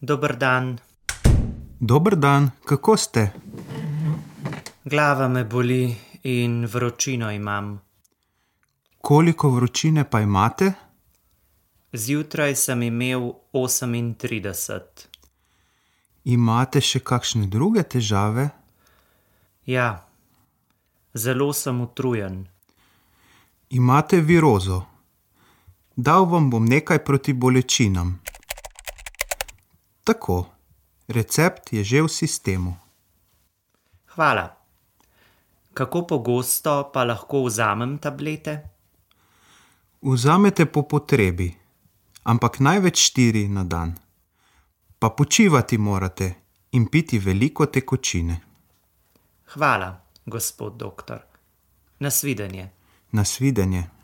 Dober dan. Dober dan, kako ste? Glava me boli in vročino imam. Koliko vročine pa imate? Zjutraj sem imel 38. Imate še kakšne druge težave? Ja, zelo sem utrujen. Imate virozo. Dal vam bom nekaj proti bolečinam. Tako, recept je že v sistemu. Hvala. Kako pogosto pa lahko vzamem tablete? Vzamete po potrebi, ampak največ 4 na dan. Pa počivati morate in piti veliko tekočine. Hvala, gospod doktor. Nasvidenje. Nasvidenje.